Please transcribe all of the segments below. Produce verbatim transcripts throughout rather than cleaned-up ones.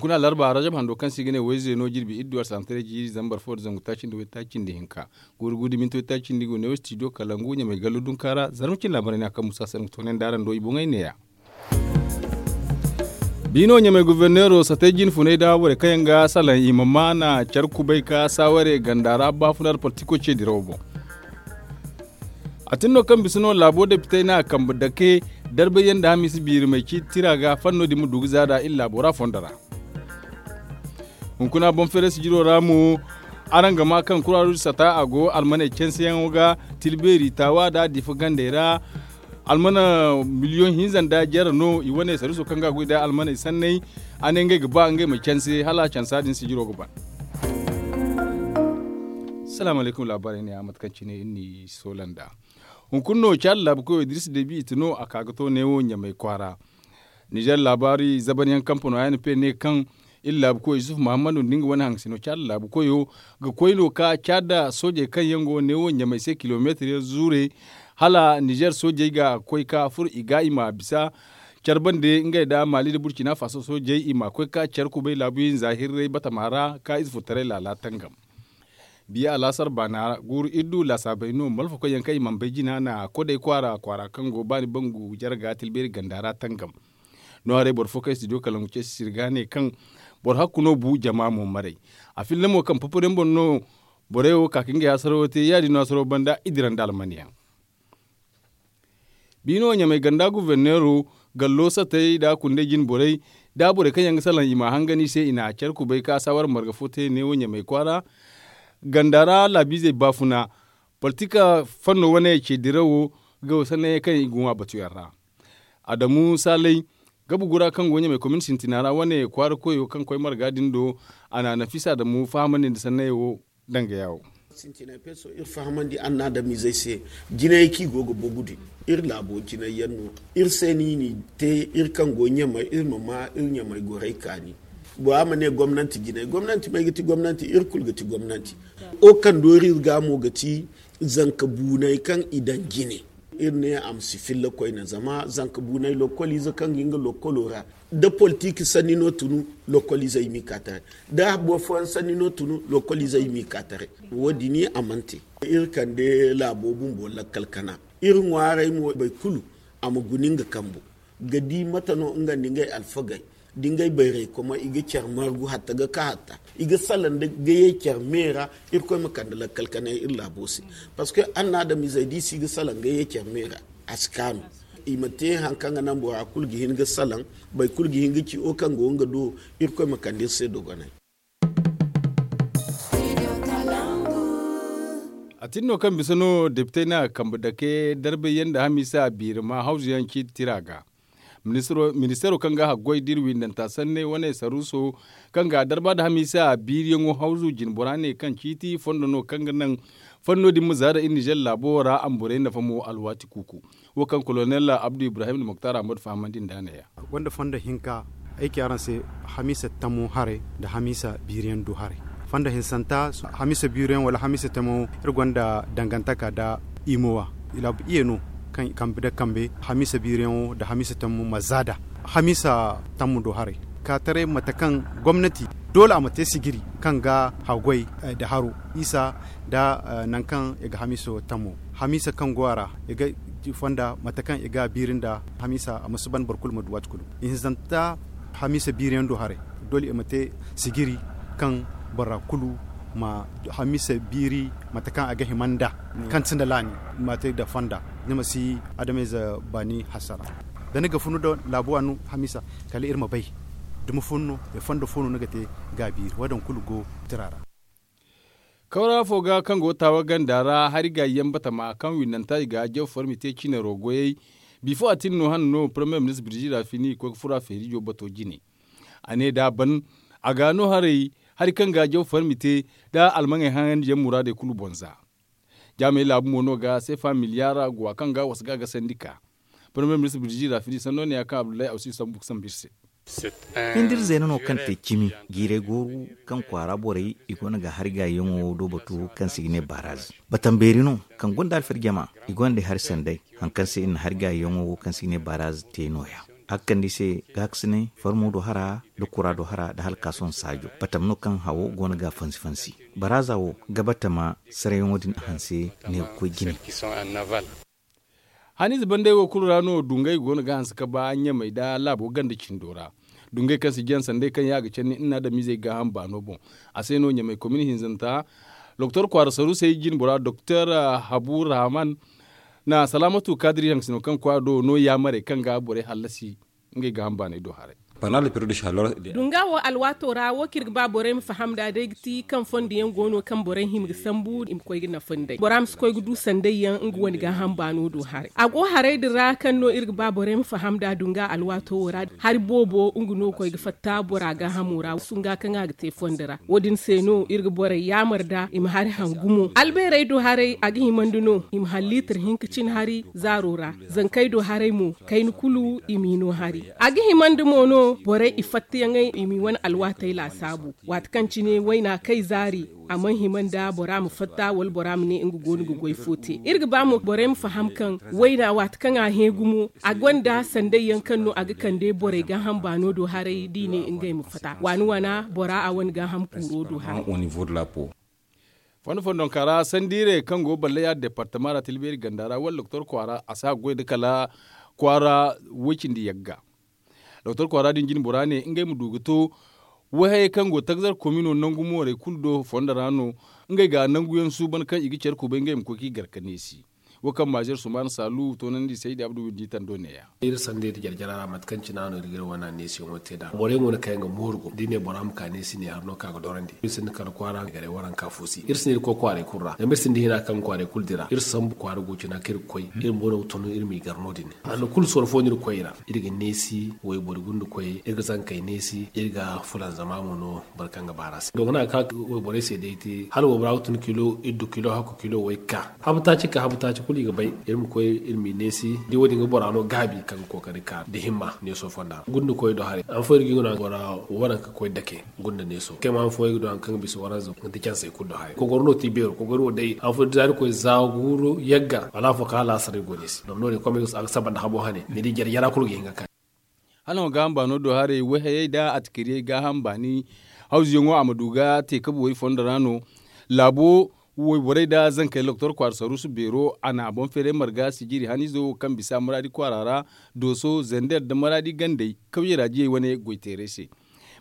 Hunkuna alarba rajab hando kaŋ se i ga ne wayze no jirbi iddu alsahantaray jiiri zambar fo nda zangu taaci nda waytaaci nda hinka. Guuru guuru da minti waytaaci nda i go ne wo stijo kalangu ɲamay gallo dunka ra zarma cine laabaray no a kaŋ musa sanda ga toonandi araŋ do i boŋey neeya. Biino ɲamay goforneero satay jinfunay da borey kaŋ yaŋ ga salaŋ i ma maana care kubay ka saaware ganda ra baafuna da politiko ce dirawo boŋ. A tin no kaŋ bisa no laabo depitey na a kambe dake darbayyaŋ nda hamiisa biirimey ciiti tira ga fanno din ma du ga za nd'a iri laabo ra fondo ra. Hunkuna boŋ feere sijiro ra mo araŋ ga maa kaŋ kuraaruz sata a go almaney canseyaŋo ga tilbeeri taawa nda difa gandey ra. Almana miliyoŋ hinza nda jare no i wane sariso kaŋ ga a goy nda almaney sanney. A ne ngey ga ba ngey ma canse hala cansa din sijiro ga ban. Salaamu alaykum laabaarey ne a mate kaŋ cine iri n'i soola nd'a. Hunkuna no caada laabu koyo idris debi i ti no a ka ga to neewo ɲamay kwaara. Nizer laabaari zabanyaŋ kampano a n p ne kaŋ iri laabu koyo yusuf muhammadu nda nga wane haŋasino caada laabu koyo ga koy no ka caada soojey kaŋ yaŋ go neewo ɲamay se kilomeetir yaŋ zuure. Hala nizer soojey ga koy ka furo i ga i ma bisa care bande ngey nda maali nda burcina faso soojey i ma koy ka care kubay laabu hinza hirray batama ra ka ize furtaray laala tangam. Biya alaasar baana guuru iri du laasaabey no malfakoy yaŋ kaŋ i mana bay jina na kodey kwaara kwaara kaŋ go baani bangu jarga tilbeeri ganda ra tangam. No haray boro fo kaŋ studio kalangu ce sisiri ga ne kaŋ boro hakku no bu jama mo maray. A filla mo kaŋ papariyaŋ boŋ no borey wo ka ka ngey hasarawo te ya- din no hasarawo banda i dira nda almanyaŋ. Biino ɲamay ganda guforneero gallo satey nda kundey jine borey nda borey kaŋ yaŋ ga salaŋ i ma a hangan i se i na care kubay ka saawara marga fo te neewo ɲamay kwaara. Ganda ra laabiizey baafuna politika fanno wane ce dirawo ga sannayey kaŋ i ga ŋwa batuyaŋ ra. Adamu saalay gabugu ra kaŋ go ɲamay komin sintina ra wane kwaara koyo kaŋ koy marga din do a na nafisa adamu fahamandi nda sannayey wo. Danga yaawo. Sintinay peso iri fahamandi annaadamizey se jinayey kaŋ i go ga bogu din iri laabo jinay yaŋ no. Iri se no i n'i te iri kaŋ go ɲamay iri ma ma iri ɲamay gorey kaani. Bora ma ne gomnanti jinay gomnanti may ga ti gomnanti iri kulu ga ti gomnanti. O kaŋ doori iri ga mo ga ti zanka buunay kaŋ i daŋ jine. Iri ne a ma si filla koyne zama zanka buunay lokkoliize kaŋ ga nga lokkolo ra da politik sanni no tunu lokkoliizey m'i ka taray. Da boro fooyaŋ sanni no tunu lokkoliizey m'i ka taray. Wo- din a mana te. Iri kande laabo bumbo lakkal kana iri ŋwaaray mo boro kulu a ma guna nga kambo ga di mate no nga nda ngey alfagey da ngey bayray koma i ga care margu hatta ga ka hatta i ga salaŋ da ga ye care me ra. Irkoy ma kande lakkal kanay iri laabo se. Parceque annaadamizey da i si ga salaŋ ga ye care me ra a si kaanu. I ma te hari kaŋ ga naŋ bora kulu ga hin ga salaŋ boro kulu ga hin ga ci wo kaŋ go nga do. Irkoy ma kande iri se dogonay. A tin no kaŋ bisa no depitey na kambe dake darbay yaŋ nda hamiisa biiri ma hawzu yaŋ ciiti tira ga. Ministeero kaŋ ga haggoy da iri windanta sanney wane saruuso kaŋ ga a darba nda hamiisa biiriyaŋo hawzu jinbora ne kaŋ ciiti fondo no kaŋ ga naŋ fanno din ma zaada iri nizer laabo ra a ma borey nafa mo alwaati kuuku. Wo kaŋ kolonel abdu ibrahim nda moktar ahmad fahamandi nd'a neeya. Gonda fondo hinka ay ci araŋ se hamiisa tamo haray nda hamiisa biiriyaŋ du haray. Fondo hinsanta hamiisa biiriyaŋ wala hamiisa tamo iri gonda dangantaka nda imowa. Laabu iye no kaŋ kambe nda kambe hamiisa biiriyaŋo nda hamiisa tamo ma zaada hamiisa tamo do haray. Ka taray mate kaŋ gomnati doole a ma te sijiri kaŋ ga haggoy nda haro isa nda nangu kaŋ i ga hamiiso tamo hamiisa kaŋ go a ra i ga fonda mate kaŋ i ga a biiri nda hamiisa a ma si ban boro kulu ma du waati kulu. Ihinzanta hamiisa biiriyaŋ do haray doole i ma te sijiri kaŋ bora kulu ma hamiisa biiri mate kaŋ a ga hima nda kaŋ ti nda laani ma te nda fonda ni ma si adamayze baani hasara. Da ni ga funu nda laabuwa no hamiisa kala iri ma bay dumi fo no i fondo fo no ni ga te ga a biiri wo- din kulu go tira ra. Kawra fo ga kaŋ go taawa ganda ra hari gaayi yaŋ batama kaŋ windanta i ga jaw farmi te cine rogoyey. Bifo a tin no hane no parmiye ministre birjira fini i koy ga furo a feerijo bato jine. A ne da a ban a ga no haray hari kaŋ ga jaw farmi te da almaŋey haŋandi yaŋ muraadey kulu boŋ za. Jaamey laabu mo no ga seefa miliyaara guwa kaŋ ga wasa ga a gasandi ka parmiye ministre birjira fini sanno ne ya kaŋ abdullahi awsi sambu ga sambu iri se. Hindir zeena no kaŋ te cimi jiiray gooru kaŋ kwaara borey i go no ga hari gaayiyaŋo do batu kaŋ se i ga ne baraz batambeeri no kaŋ gonda alfarjama i gonda hari sanday hari kaŋ se i na hari gaayiyaŋo kaŋ se i ga ne baraz te no- ya. A ga kande i se gaakasinay farmo do hara, da kura do hara da halkaason saajo batam no kaŋ hawo go no ga a fansi-fansi. Baraaza wo ga batama sarayaŋo din a hanse ne ga koy jine. Haniize bandey wo kulu ra no dungay go no ga hanse ka ba ɲamay da laabo ganda cindo ra. Dungay kaŋ si jaŋ sanday kaŋ ya ga canni nna adamizey gaaham baano boŋ. A se no ɲamay komin hinzanta doktor kwaara saruusey jinbora doktor habu rahman na salaamatu kaadiri haŋ sino kaŋ kwaara do no yaamarey kaŋ ga borey hallasi ngey gaaham baaney do haray. Dunga wo alwaato ra wo kaŋ iri ga ba borey ma faham nd'a day ga ti kaŋ fondo yaŋ go no kaŋ borey hima ga sambu i ma koy ga nafa nd'ey bora ma si koy ga du sanday yaŋ nga wane gaaham baano do haray. A go haray din ra kaŋ no iri ga ba borey ma faham nd'a dunga alwaato wo ra hari boobo nga no ga koy ga fatta bora gaahamo ra sunga kaŋ a ga te fondo ra. Wo- din se no iri ga borey yaamar nd'a i ma hari hangu mo albeerey do haray a ga himandi no i ma hari liitir hinka cine hari zaaro ra. Zankey do haray mo kayna kulu i m'i no hari. A ga himandi mo no borey i fattayaŋey i m'i wane alwaatey laasaabu. Waati kaŋ cine wayna kay zaari a mana hima nda bora ma fatta wala bora ma ne nga go no ga goy fo te iri ga ba mo borey ma faham kaŋ wayna waati kaŋ a hẽ gumo a gonda sanday yaŋ kaŋ no a ga kande borey gaaham baano do haray da i ne ngey ma fatta waana waana bora a wane gaaham kuuro do haray. Fondo fondonka ra sandiirey kaŋ go ballaya departama ra tilbeeri ganda ra wala doktor kwaara a si a ga goy nda kala kwaara woy cindi yagga. Doktor kwaara din jinbora ne ngey ma du ga to wayhayey kaŋ go tagzar komino nangu moorey kulu do fondo ra no. Ngey ga nanguyaŋ suuban kaŋ i ga care kubay ngey ma koy ka i gar ka neesi. Wo kaŋ maazer sumaana saalu toonandi saydi abdu windi tando neeya. Iri sanda iri jarjara ra mate kaŋ cine a no iri ga iri wane neesiyaŋo te nd'a borey mo no kaŋ yaŋ ga mooru go da i ne bora ma ka neesi ne hari no kaŋ a ga dorandi iri sinda kala kwaara garay waranka fo se iri sinda iri koy kwaaray kulu ra zama iri sinda hina kaŋ ga kwaaray kulu dira iri sambu kwaara go cina kaŋ iri ga koy iri ma bono ga tun iri m'i gar no- din. Hanno kulu sorro fo no iri ga koy i ra iri ga neesi wayboro gunda koy iri ga zankey neesi iri ga fulanzama mo no. Boro kaŋ ga baar'a se dongo no a ga ka wayborey se day te hala waybora ga tun kilo iddu kilo hakku kilo way ga ka habu taaci ga ka habu taaci kulu i ga bay. Iri ma koy iri m'i neesi da wo- din ga bora no gaabi kaŋ ga kookari ka nda himma neeso fonda ra gunda koy do haray han fooyaŋ iri ga i guna bora waranka koy dake gunda neeso kay ma han fooyaŋ ga du hari kaŋ ga bisa waranza nda cansey kulu do haray kogoro no ti beero kogoro wo day han fooyaŋ da zaari koy za guuru yagga wala afo kaŋ hala a saray go neesi zama no- din komey a ga saba nda habo hane ni di jare jara kulu ga hin ga ka. Hala no gaaham baano do haray wayhayey nda atikiriyey gaaham baani hawzuyaŋo a ma du ga te kabu way fondo ra no. Laabo wayborey nda zankey loktor kwaara saruusu beero a na boŋ feeray marga sijiri haniizo wo kaŋ bisa maraadi kwaara ra dooso zender nda maraadi gandey kawyey ra diyey wane goyteeray se.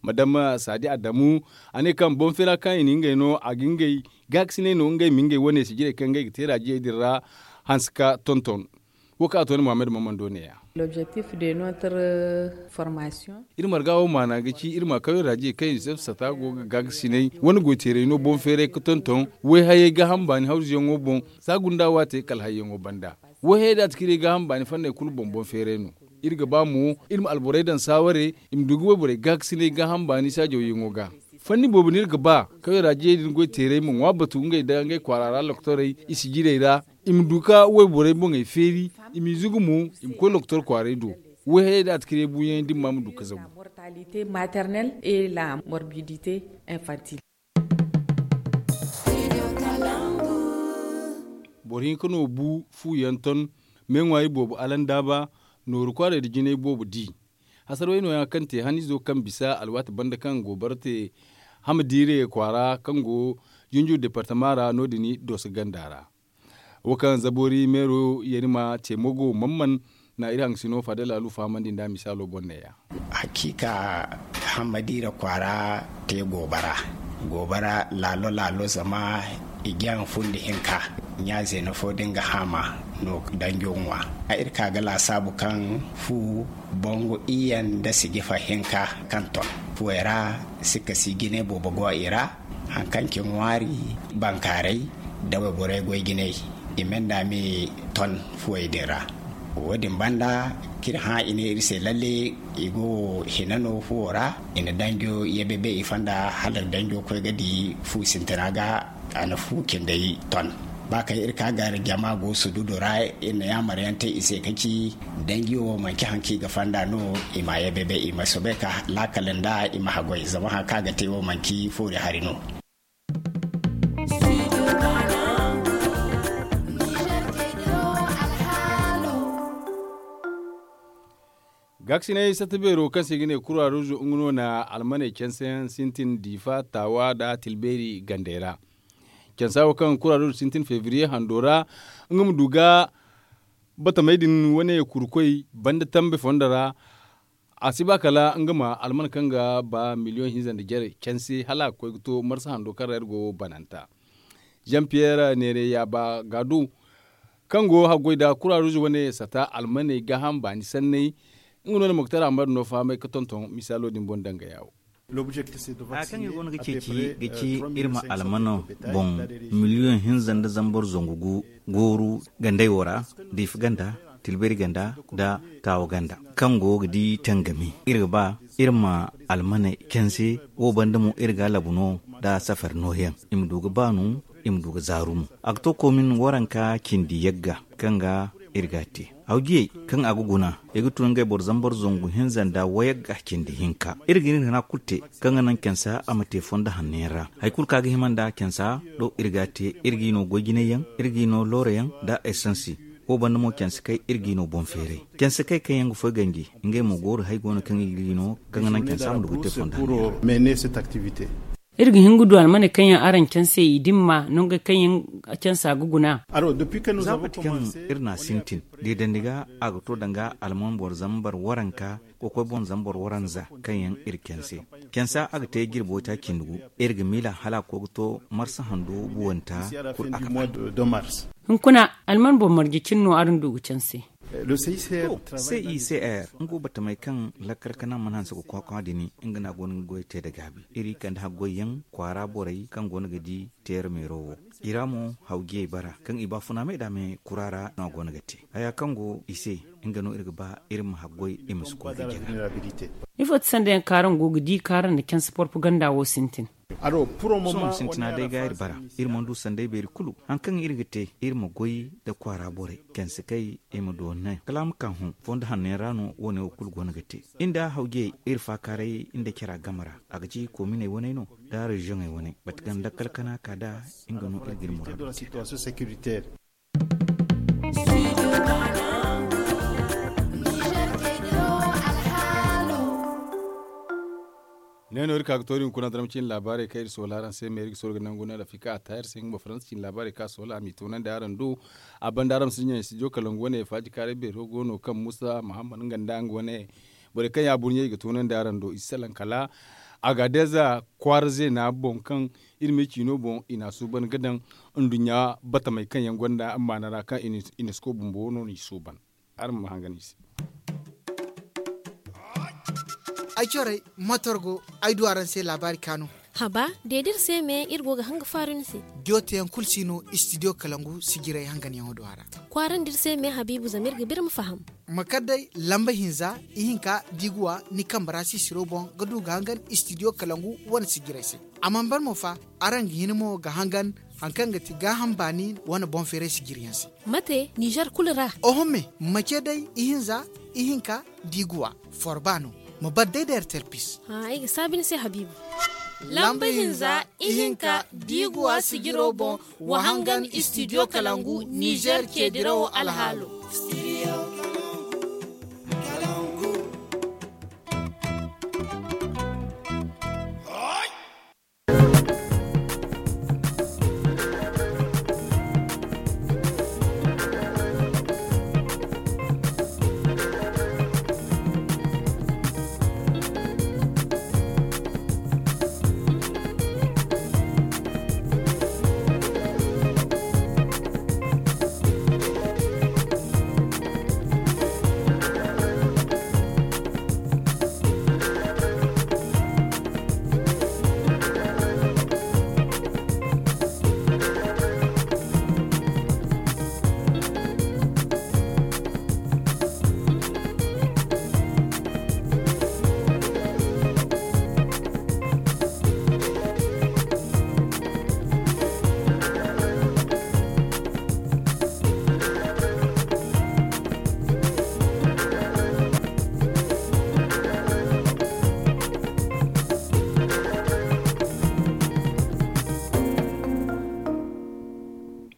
Madama saadi adamu a ne kaŋ boŋ feera kaŋ i na ngey no a ga ngey gaakasinay no ngey ma ngey wane sijirey kaŋ ngey ga te raajiyey din ra hanse ka tonton. Wo kaŋ a to ni muhammad maman do neeya. Iri marga wo maana ga ci iri ma kawyaŋ raajiyey kaŋ i sata go ga gaakasinay wane goyteeray no boŋ feeray ga tonton wayhayey gaaham baani hawzuyaŋo boŋ. Za gunda wo a te kala hayyaŋo banda wayhayey da atikirey gaaham baani fanney kulu boŋ boŋ feeray no. Iri ga ba mo iri ma alborey daŋ saaware i ma du ga wayborey gaakasinay gaaham baani saajawyaŋo ga. Fanni boobo no iri ga ba kawyaŋ raajiyey din goyteeray ma ŋwa batu ngey nda ngey kwaara ra loktorey i sijirey ra i ma du ka wayborey boŋey feeri i m'i zugu mo i ma koy loktor kwaaray do. Wayhayey da atikirey buuyaŋey dimma ma du ka zagu. Boro hinka no bu fu yaŋ ton meeŋwaari boobo alandaaba nooru kwaaray nda jinay boobo di. Hasarwey nooya kaŋ te haniizo kaŋ bisa alwaati banda kaŋ goobara te hamadiire kwaara kaŋ go junju departama ra no- din dooso ganda ra. Wo kaŋ zaboori meero yarima ceemo go mamman na iri haŋ sino faada laalu fahamandi nda misaalo boŋ neeya. Hakiika hammadiira kwaara te goobara goobara laalo laalo zama i jaŋ fundi hinka ɲa zeena fo din ga haama no danjo ŋwa. Iri ka ga laasaabu kaŋ fu bongo iyyaŋ nda sijifa hinka kaŋ ton fuwey ra sikka si jine boobo go i ra. Haŋ kaŋ ci ŋwaari bankaaray da wayborey goy jinay i menda me ton fuwey din ra. Wo- din banda k'iri hã i ne iri se lalle i go hina no fuwo ra. I na danjo yebebe i fonda hala danjo koy ga di fu sintina ga a na fu cindey ton. Ba kaŋ iri ka gar jama go sududu ra iri na yaamar yaŋ te i se ka ci danji wo manci haŋ kaŋ i ga fonda no. I ma yebebe i ma soobay ka laakal nda i ma haggoy zama haŋ kaŋ a ga te wo manci foori hari no. Gaakasinay satta beero kaŋ se i ga ne kura ruuzu nga no na almaney canse yaŋ sintin diifa taawa nda tilbeeri gandey ra. Cansa wo kaŋ kura ruuzu sintin febriye hando ra nga ma du ga batamey din wane kurkoy banda tambe fondo ra. A si ba kala nga ma alman kaŋ ga ba miliyoŋ hinza nda jare canse hala a ga koy ga to marsa hando kaŋ ra iri go bananta. Jean pierre neere yaaba gaadu kaŋ go haggoy nda kura ruuzu wane sata almaney gaaham baani sanney. Nga no na moktar ahmad no fahamay ga tonton misaalo din boŋ danga yaawo. Haya kaŋ iri go no ga ceeci ga ci iri ma almano boŋ miliyoŋ hinza nda zambar zangu gu gooru gandey wo ra, diifa ganda, tilberi ganda, nda taawa ganda kaŋ go ga di tangami. Iri ga ba iri ma almaney canse wo banda mo iri ga a labu no nda safari nooyaŋ i ma du ga baanu, i ma du ga zaaru mo. A ga to koomin waranka cindi yagga kaŋ ga iri ga a te. Hawjiyey kaŋ a ga guna i ga tun ngey boro zambar zangu hinza nda wayagga cindi hinka. Iri ga iri hina kulu te kaŋ ga naŋ cansa a ma te fondo hanno yaŋ ra. Hari kulu kaŋ a ga hima nda cansa do iri ga a te. Iri g'i no goy jinay yaŋ, iri g'i no looro yaŋ nda esansi. Wo banda mo canse kay iri g'i no boŋ feeray. Canse kay kaŋ yaŋ ga foy ganji ngey mo gooru hari go no kaŋ iri g'i no kaŋ ga naŋ cansa ma du ga te fondo hanno yaŋ ra. Iri ga hin ga du almaney kaŋ yaŋ araŋ canse i dimma nongey kaŋ yaŋ cansa ga guna. Za mate kaŋ iri n'a sintin deedandi ga a ga to danga alman boro zambar waranka kokoy boŋ zambar waranza kaŋ yaŋ iri canse. Cansa a ga te jirbo taaci nda gu. Iri ga miila hala a ga koy ga to marsa hando buwanta kulu a ga ba. Hunkuna alman boŋ marje cine no araŋ du ga canse. Cicr nga wo batamey kaŋ lakkal kana mana hanse ga kwakwa din nga no a go no ga goy te nda gaabi iri kande haggoy yaŋ kwaara borey kaŋ go no ga di teera meero wo. I ra mo hawjiyey bara kaŋ i baafuna me nda me kura ra no a go no ga te haya kaŋ go i se. Nga no iri ga ba iri ma haggoy i ma si koy ga jina. Ifo ti sanda yaŋ kaaraŋ go ga di kaaraŋ nda canse porpaganda wo sintin? Sohõ sintina day ga iri bara. Iri mana du sanday beeri kulu hari kaŋ iri ga te iri ma goy nda kwaara borey canse kay i ma doonay kala a ma ka hõ fondo hanno yaŋ ra no wo- ne wo kulu go no ga te. Iri nda hawjiyey iri faakaaray nda cara game ra a ga ci koominey waney no nda reziyoŋey waney mate kaŋ lakkal kana ka nd'a. Nga no iri ga iri muraado te nd'a. Ne no iri ka ga to iri hunkuna daram cine laabaarey kaŋ iri soola araŋ se me iri ga sooro ga nangu no rafika a ta iri se nga ma faransa cine laabaarey kaŋ a soola a m'i toonandi araŋ do. A banda araŋ ma si ɲaŋ studio kalangu wane faaji kaaray beero go no kaŋ musa muhammad nga nda nga wane borey kaŋ ya burɲey i ga toonandi araŋ do i si salaŋ kala. Agadeza kwaara zeena boŋ kaŋ iri me ciino boŋ i n'a suuban ga daŋ nduɲɲa batamey kaŋ yaŋ gonda maana ra kaŋ unesco bumbo no n'i suuban. Araŋ ma hangan i se. Ay corey motor go ay du araŋ se laabaari kaanu. Haba de da iri se me iri go ga hanga faaru ni se. Jooteyaŋ kulu si no studio kalangu sijiray hanganyaŋo do a ra. Kwaarandi iri se me habiibu zama iri ga ba iri ma faham. Ma kar day lamba hinza ihinka da i ga wa ni kambe ra sisiro boŋ ga du ga hangan studio kalangu wane sijiray se. A mana ban mo fa araŋ ga hin mo ga hangan hari kaŋ ga ti gaaham baani wane boŋ feeray sijiriyaŋ se. Mate nizer kulu ra? Oho me ma ce day ihinza ihinka da i ga wa forba no. Ma bar day da airtel pis. Ay ga saabi ni se habiibu. Lamba hinza ihinka da i ga wa sijiro boŋ wa hangan studio kalangu nizer ceedirawo alhaalo.